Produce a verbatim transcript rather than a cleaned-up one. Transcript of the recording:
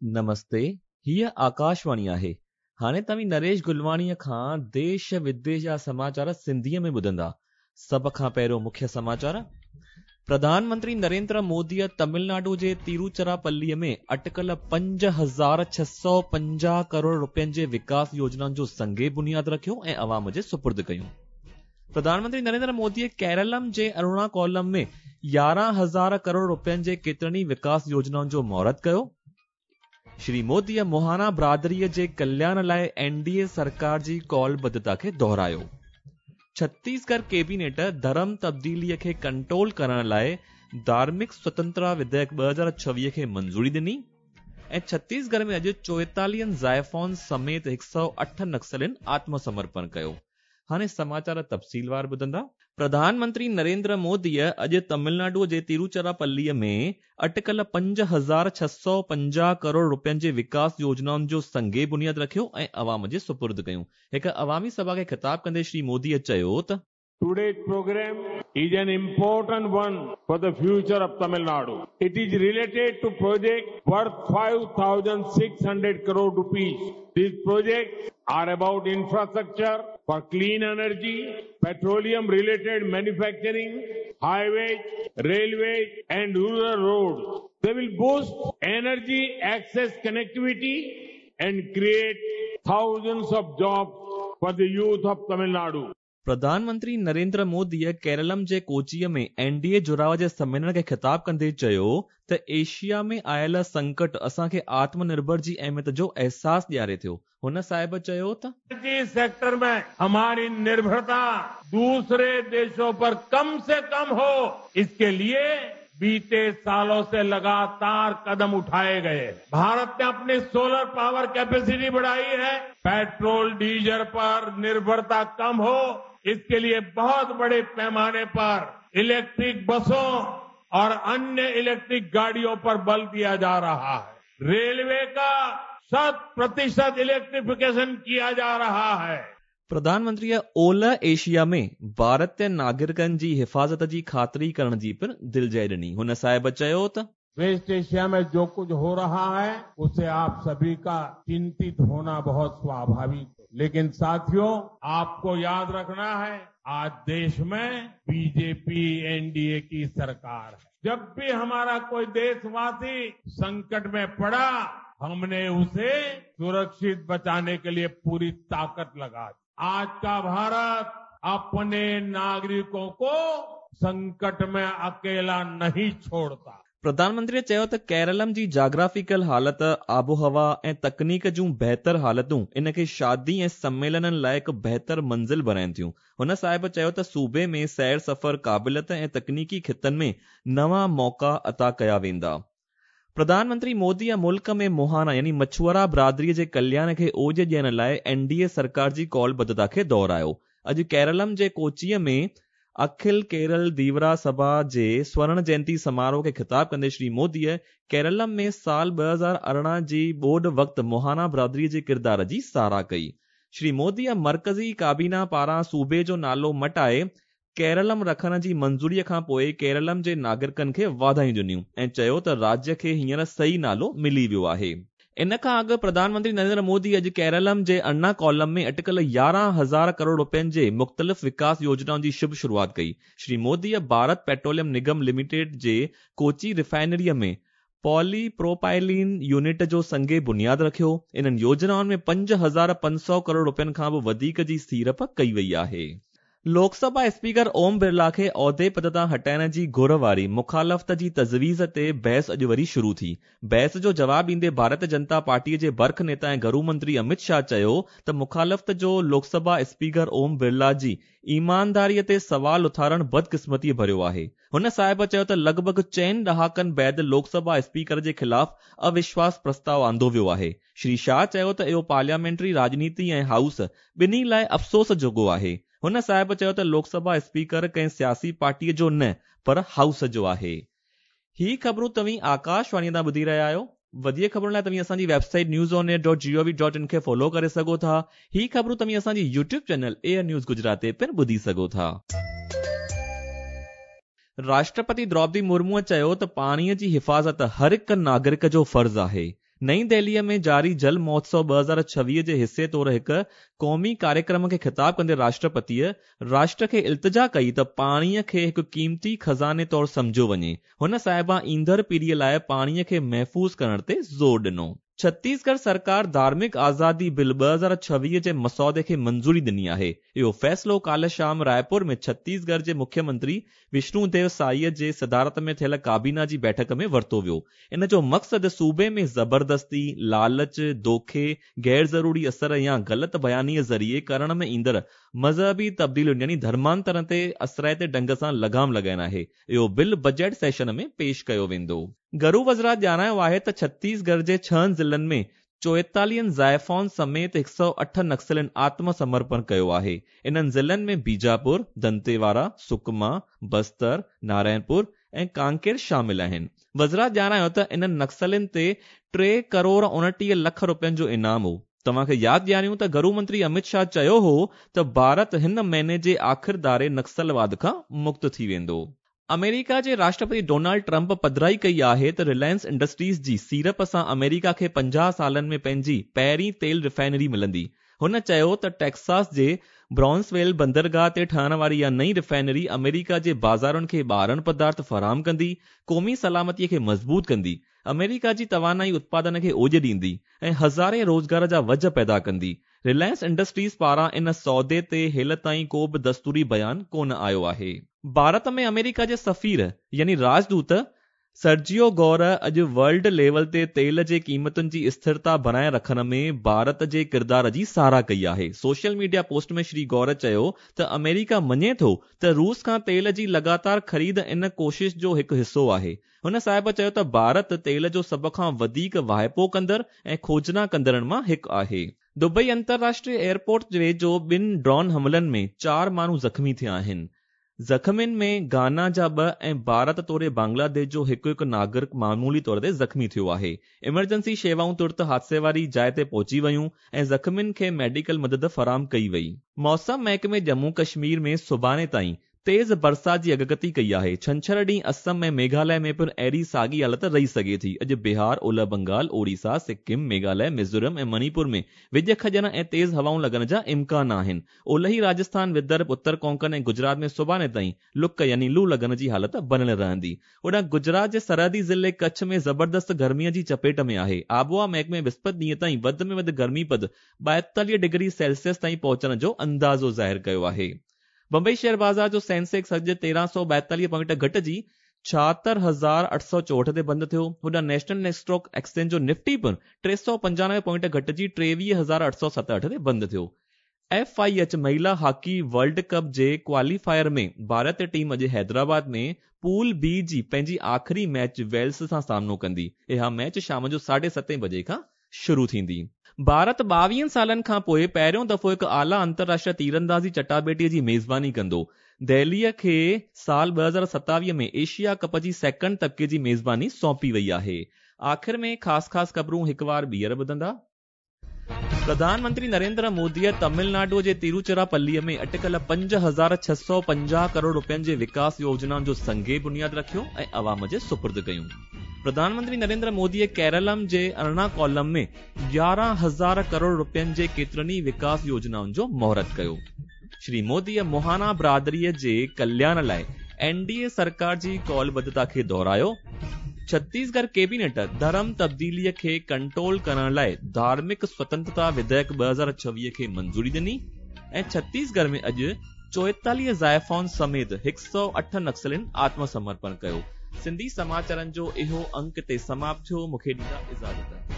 نمستي، هيءَ آڪاشواڻي آهي. هاڻي توهين نريش گلواڻيءَ کان ديش وديش جا سماچار سنڌيءَ ۾ ٻڌندا. سڀ کان پهريون مکيه سماچار. پرڌان منتري نريندر موديءَ تامل ناڊو جي تروچراپليءَ ۾ اٽڪل پنج هزار ڇهه سؤ پنجاهه ڪروڙ رپين جي وڪاس يوجنائن جو سنگ بنياد رکيو ۽ عوام جي سپرد ڪيون. پرڌان منتري نريندر موديءَ ڪيرلم جي ارڻاڪولم ۾ يارهن هزار ڪروڙ رپين جي ڪيترن ئي وڪاس يوجنائن جو مهورت ڪيو. شري موديءَ موهانا برادريءَ جي ڪلياڻ لاءِ اين ڊي اي سرڪار جي ڪالبڌتا کي دهرايو. ڇتيسڳڙهه ڪيبينيٽ ڌرم تبديليءَ کي ڪنٽرول ڪرڻ لاءِ ڌارمڪ سوتنترتا وڌيئڪ ٻه هزار ڇويهه کي منظوري ڏني ۽ ڇتيسڳڙهه ۾ اڄ چوئيتاليهن زائفائن سميت هڪ سؤ اٺ نڪسلين آتم سمرپڻ ڪيو. هاڻي سماچار تفصيلوار ٻڌندا. پرڌان منتري نريندر موديءَ اڄ تامل ناڊو جي تروچراپليءَ ۾ اٽڪل پنج هزار ڇهه سؤ پنجاهه ڪروڙ رپين جي وڪاس يوجنائن جو سنگ بنياد رکيو ۽ عوام جي سپرد ڪيون. هڪ عوامي سڀا کي خطاب ڪندي شري موديءَ چيو ته Today's program is an important one for the future of Tamil Nadu. It is related to project worth five thousand six hundred crore rupees. These projects are about infrastructure for clean energy, petroleum related manufacturing, highways, railways and rural roads. They will boost energy access connectivity and create thousands of jobs for the youth of Tamil Nadu. Pradhan Mantri Narendra موديءَ ڪيرلم جي ڪوچيءَ ۾ N D اي جڙاءُ جي سميلن کي خطاب ڪندي چيو ته Asia ۾ آيل سنڪٽ اسان کي آتم نرڀر جي اهميت جو احساس ڏياري ٿو. هن صاحب چيو ته انرجي سيڪٽر ۾ هماري نرڀرتا دوسري ديشون پر ڪم سي ڪم هو، اسڪي لئي बीते सालों से लगातार कदम उठाए गए. भारत ने अपनी सोलर पावर कैपेसिटी बढ़ाई है. पेट्रोल डीजल पर निर्भरता कम हो, इसके लिए बहुत बड़े पैमाने पर इलेक्ट्रिक बसों और अन्य इलेक्ट्रिक गाड़ियों पर बल दिया जा रहा है. रेलवे का शत प्रतिशत इलेक्ट्रिफिकेशन किया जा रहा है. प्रधानमंत्रीअ ओलह एशिया में भारतीय नागरिकनि जी हिफ़ाज़त जी ख़ातिरी करण जी पिणु दिलजय ॾिनी. हुन साहिब चयो त वेस्ट एशिया में जो कुछ हो रहा है उससे आप सभी का चिंतित होना बहुत स्वाभाविक है, लेकिन साथियों आपको याद रखना है आज देश में बीजेपी एनडीए की सरकार है. जब भी हमारा कोई देशवासी संकट में पड़ा, हमने उसे सुरक्षित बचाने के लिए पूरी ताकत लगा दी. आज का भारत अपने नागरिकों को संकट में अकेला नहीं छोड़ता. प्रधानमंत्रीअ चयो त केरलम जी जाग्राफिकल हालत, आबोहवा ऐं तकनीक जूं बहितर हालतूं इन खे शादी ऐं सम्मेलननि लाइ हिकु बहितर मंज़िल बणाइनि थियूं. हुन साहिब चयो त सूबे में सैर सफ़र, क़ाबिलियत ऐं तकनीकी ख़ितनि में नवां मौक़ा अता कया वेंदा. प्रधानमंत्री मोदीअ मुल्क में मोहाना यानी मछुआरा बरादरीअ जे कल्याण खे ओज ॾियण लाइ एन डी ए सरकार जी कॉलबद्धता खे दोहरायो. अॼु केरलम जे कोचीअ में अखिल केरल दीवरा सभा जे स्वर्ण जयंती समारोह खे ख़िताब कंदे श्री मोदीअ केरलम में साल ॿ हज़ार अरिड़हं जी ॿोॾ वक़्तु मोहाना बरादरीअ जे किरदार जी सराह कई. श्री मोदीअ मर्कज़ी काबीना पारां सूबे जो नालो मटाए केरलम रखण जी मंज़ूरीअ खां पोइ केरलम जे नागरिकनि खे वाधायूं ॾिनियूं ऐं चयो त राज्य खे हींअर सही नालो मिली वियो आहे. इन खां अॻु प्रधानमंत्री नरेंद्र मोदी अॼु केरलम जे अर्णाकुलम में अटकल यारहं हज़ार करोड़ रुपयनि जे मुख़्तलिफ़ विकास योजनाउनि जी शुभ शुरूआत कई. श्री मोदीअ भारत पेट्रोलियम निगम लिमिटेड जे कोची रिफाइनरीअ में पॉलीप्रोपाइलीन यूनिट जो संग बुनियाद रखियो. इन्हनि योजनाउनि में पंज हज़ार पंज सौ करोड़ रुपयनि खां बि वधीक जी सीड़प कई वई आहे. लोकसभा स्पीकर ओम बिरला खे औहदे पद तां हटाइण जी घुर वारी मुखालफ़त जी तजवीज़ ते बहस अॼु वरी शुरू थी. बहस जो जवाब ॾींदे भारतीय जनता पार्टीअ जे बर्ख नेता ऐं गृह मंत्री अमित शाह चयो त मुखालफ़त जो लोकसभा स्पीकर ओम बिरला जी ईमानदारीअ ते सवाल उथारणु बदकिस्मतीअ भरियो आहे. हुन साहिब चयो त लॻभॻि चइनि ॾहाकनि बाद लोकसभा स्पीकर जे ख़िलाफ़ अविश्वास प्रस्ताव आंदो वियो आहे. श्री शाह चयो त इहो पार्लियामेंटरी राजनीति ऐं हाउस ॿिन्ही लाइ अफ़सोस जोॻो आहे. हुन साहिब चयो त लोकसभा स्पीकर कंहिं सियासी पार्टीअ जो न पर हाउस जो आहे. ही ख़बरूं तव्हीं आकाशवाणीअ तां ॿुधी रहिया आहियो. वधीक ख़बरुनि लाइ तव्हीं असांजी website news on air dot G O V dot in खे फॉलो करे सघो था. ही ख़बरूं तव्हीं असांजी YouTube channel air news Gujarat ते पिणु ॿुधी सघो था. राष्ट्रपति द्रौपदी मुर्मूअ चयो त पाणीअ जी हिफ़ाज़त हर हिकु नागरिक जो फ़र्ज़ आहे. نئين دهليء ۾ جاري جل مهوتسو ٻه هزار ڇويهه جي حصي طور هڪ قومي ڪاريڪرم کي خطاب ڪندي راشٽرپتيء راشٽر کي التجا ڪئي ته پاڻيء کي هڪ قيمتي خزاني طور سمجهيو وڃي. هن صاحبه ايندڙ پيڙهيء لاءِ پاڻيء کي محفوظ ڪرڻ تي زور ڏنو. ڇتيسڳڙهه سرڪار ڌارمڪ آزادي بل ٻه هزار ڇويهه جي مسودي کي منظوري ڏني آهي. اهو فيصلو ڪالهه شام رائپور ۾ ڇتيسڳڙهه جي مکيه منتري وشنو ديو سائي جي صدارت ۾ ٿيل ڪابينا جي بيٺڪ ۾ ورتو ويو. ان جو مقصد صوبي ۾ زبردستي، لالچ، دوکي، غير ضروري اثر يا غلط بيانيء ذريعي ڪرڻ ۾ ايندڙ مذهبي تبديلين يعني ڌرمانترڻ تي اثرائتي ڍنگ سان لگام لڳائڻ آهي. اهو بل بجيٽ سيشن ۾ پيش ڪيو ويندو. گهرو وزارت ڄاڻايو آهي ته ڇتيسڳڙهه جي ڇهن ضلعن ۾ چوئيتاليهن زائفائن سميت هڪ سؤ اٺ نڪسلين آتم سمرپڻ ڪيو آهي. انهن ضلعن ۾ بيجاپور، دنتيواڙا، سڪما، بستر، نارائڻپور ۽ ڪانڪير شامل آهن. وزارت ڄاڻايو ته انهن نڪسلين تي ٽي ڪروڙ اڻٽيهه لک رپين جو انعام هو. توهان کي ياد ڏياريون ته گهرو منتري امت شاهه چيو هو ته ڀارت هن مهيني جي آخر ڌاري نڪسلواد کان مڪت ٿي ويندو. آمريڪا جي راشٽرپتي ڊونالڊ ٽرمپ پڌرائي ڪئي آهي ته رلائنس انڊسٽريز جي سيڙپ سان آمريڪا کي پنجاهه سالن ۾ پنهنجي پهرين تيل ريفائنري ملندي. هن چيو ته ٽيڪساس جي برائونسويل بندرگاهه تي ٺهڻ واري اها نئين ريفائنري آمريڪا جي بازارن کي ٻارڻ پدارٿ فراهم ڪندي، قومي سلامتي کي مضبوط ڪندي، آمريڪا جي توانائي اتپادن کي اوڄ ڏيندي ۽ هزارين روزگار جا وجهه پيدا ڪندي. رلائنس انڊسٽريز پاران ان سودي تي هيل تائين ڪو به دستوري بيان ڪونه آيو آهي. ڀارت ۾ آمريڪا جي سفير يعني راجدوت سرجيو گور اڄ ورلڊ ليول تي تيل جي قيمتن جي اسٿرتا بڻائي رکڻ ۾ ڀارت جي ڪردار جي ساراهه ڪئي آهي. سوشل ميڊيا پوسٽ ۾ شري گور چيو ته آمريڪا مڃي ٿو ته روس کان تيل جي لڳاتار خريد ان ڪوشش جو هڪ حصو آهي. هن صاحب چيو ته ڀارت تيل جو سڀ کان وڌيڪ واهپو ڪندڙ ۽ کوجنا ڪندڙن مان هڪ آهي. دبئي انترراشٽريه ايئرپورٽ ويجهو ٻن ڊرون حملن ۾ چار ماڻهو زخمي ٿيا آهن. زخمين ۾ گانا جا ٻه ۽ ڀارت توڙي بنگلاديش جو هڪ هڪ ناگرڪ معمولي طور تي زخمي ٿيو آهي. ايمرجنسي شيوائون ترت حادثي واري جاءِ تي پهچي ويون ۽ زخمين کي ميڊيڪل مدد فراهم ڪئي وئي. موسم محڪمي ڄمون ڪشمير ۾ سڀاڻي تائين تيز برسات جي اڳڪٿي ڪئي آهي. ڇنڇر ڏينهن اسم ۽ ميگهاليه ۾ پڻ اهڙي ساڳي حالت رهي سگهي ٿي. اڄ بهار، اولهه بنگال، اوڙيسا، سڪم، ميگهاليه، ميزورم ۽ مڻيپور ۾ وڄ کڄڻ ۽ تيز هوائون لڳڻ جا امڪان آهن. اولهي راجسٿان، ودرڀ، اتر ڪونڪن ۽ گجرات ۾ سڀاڻي تائين لڪ يعني لو لڳڻ جي حالت بڻيل رهندي. هوڏانهن گجرات جي سرحدي ضلعي ڪڇ ۾ زبردست گرميءَ جي چپيٽ ۾ آهي. آبهوا محڪمي وسپت ڏينهن تائين وڌ ۾ وڌ گرمي پد ٻائيتاليهه ڊگري سيلسيس تائين پهچڻ جو اندازو ظاهر ڪيو آهي. بمبئي شيئر بازار جو سينسيڪس اڄ تيرهن سؤ ٻائيتاليهه پوائنٽ گهٽجي ڇاهتر هزار اٺ سؤ چوهٺ تي بند ٿيو. هوڏانهن نيشنل اسٽاڪ ايڪسچينج جو نفٽي پڻ ٽي سؤ پنجانوي پوائنٽ گهٽجي ٽيويهه هزار اٺ سؤ ستهٺ تي بند ٿيو. ايف I H مهلا هاڪي ورلڊ ڪپ جي ڪواليفائر ۾ ڀارتي ٽيم اڄ حيدرآباد ۾ پول بي جي پنهنجي آخري ميچ ويلز سان سامنو ڪندي. اها ميچ شام جو ساڍي ستين بجي کان شروع ٿيندي. ڀارت ٻاويهن سالن کان پوءِ پهريون دفعو هڪ اعليٰ انترراشٽريه تيراندازي چٽاڀيٽيءَ جي ميزباني ڪندو. دهليءَ کي سال ٻه هزار ستاويهه ۾ ايشيا ڪپ جي سيڪنڊ طبقي جي ميزباني سونپي وئي آهي. آخر ۾ خاص خاص خبرون هڪ وار ٻيهر ٻڌندا. پرڌان منتري نريندر موديءَ تامل ناڊو جي تروچراپليءَ ۾ اٽڪل پنج هزار ڇهه سؤ پنجاهه ڪروڙ رپين جي وڪاس يوجنائن جو سنگ بنياد رکيو ۽ عوام جي سپرد ڪيون. پرڌان منتري نريندر موديءَ ڪيرلم جي ارناڪولم ۾ يارهن هزار ڪروڙ رپين جي ڪيترن ئي وڪاس يوجنائن جو مهورت ڪيو. شري موديءَ موهانا برادريءَ جي ڪلياڻ لاءِ اين ڊي اي سرڪار جي ڪالبڌتا کي دهرايو. ڇتيسڳڙهه ڪيبينيٽ ڌرم تبديليءَ کي ڪنٽرول ڪرڻ لاءِ ڌارمڪ سوتنترتا وڌيئڪ ٻه هزار ڇويهه کي منظوري ڏني ۽ ڇتيسڳڙهه ۾ اڄ چوئيتاليهه زائفائن سميت هڪ سؤ اٺ نڪسلين آتم سمرپڻ ڪيو. سنڌي سماچارن جو اهو انڪ تي سماپت ٿيو. مون کي ڏيندا اجازت.